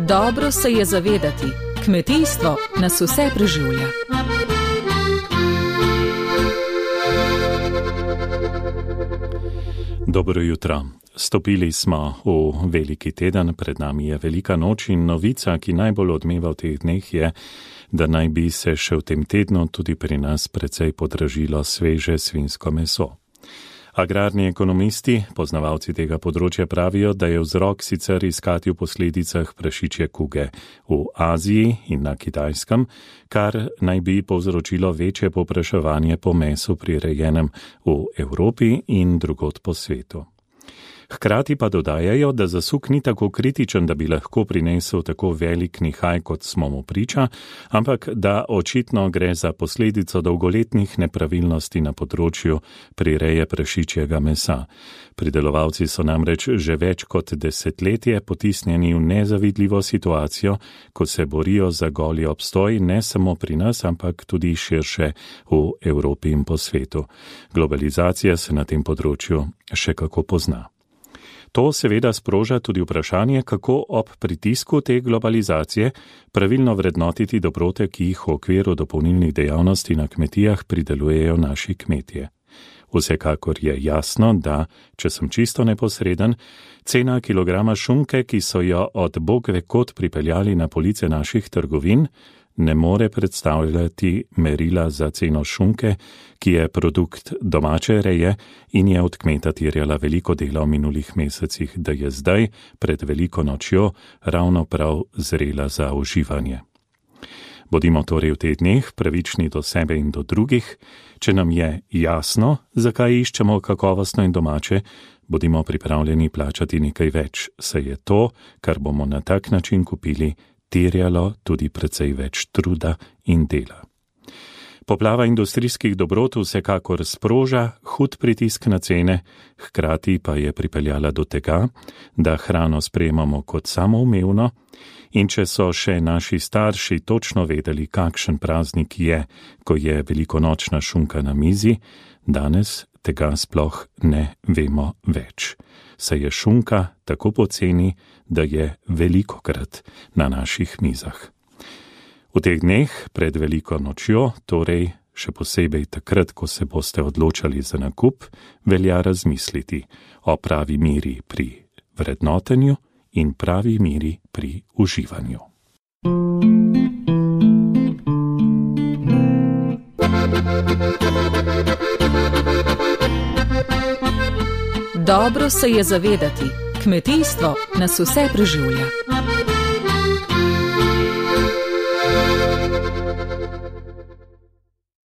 Dobro se je zavedati, kmetijstvo nas vse preživlja. Dobro jutro. Stopili smo v veliki teden, pred nami je velika noč in novica, ki najbolj odmeva v teh dneh je, da naj bi se še v tem tednu tudi pri nas precej podražilo sveže svinjsko meso. Agrarni ekonomisti, poznavalci tega področja pravijo, da je vzrok sicer iskati v posledicah prašičje kuge v Aziji in na Kitajskem, kar naj bi povzročilo večje povpraševanje po mesu prirejenem v Evropi in drugod po svetu. Hkrati pa dodajajo, da zasuk ni tako kritičen, da bi lahko prinesel tako velik nihaj, kot smo mu priča, ampak da očitno gre za posledico dolgoletnih nepravilnosti na področju prireje prašičjega mesa. Pridelovalci so namreč že več kot desetletje potisnjeni v nezavidljivo situacijo, ko se borijo za goli obstoj ne samo pri nas, ampak tudi širše v Evropi in po svetu. Globalizacija se na tem področju še kako pozna. To seveda sproža tudi vprašanje, kako ob pritisku te globalizacije pravilno vrednotiti dobrote, ki jih v okviru dopolnilnih dejavnosti na kmetijah pridelujejo naši kmetje. Vsekakor je jasno, da, če sem čisto neposreden, cena kilograma šunke, ki so jo od bog ve kod pripeljali na police naših trgovin, ne more predstavljati merila za ceno šunke, ki je produkt domače reje in je od kmeta terjala veliko dela v minulih mesecih, da je zdaj, pred veliko nočjo, ravno prav zrela za uživanje. Bodimo torej v teh dneh pravični do sebe in do drugih. Če nam je jasno, zakaj iščemo kakovostno in domače, bodimo pripravljeni plačati nekaj več, saj je to, kar bomo na tak način kupili, terjalo tudi precej več truda in dela. Poplava industrijskih dobrot vsekakor sproža hud pritisk na cene, hkrati pa je pripeljala do tega, da hrano sprejemamo kot samoumevno, in če so še naši starši točno vedeli, kakšen praznik je, ko je velikonočna šunka na mizi, danes tega sploh ne vemo več. Saj je šunka tako poceni, da je velikokrat na naših mizah. V teh dneh pred veliko nočjo, torej še posebej takrat, ko se boste odločali za nakup, velja razmisliti o pravi meri pri vrednotenju in pravi meri pri uživanju. Dobro se je zavedati, kmetijstvo nas vse preživlja.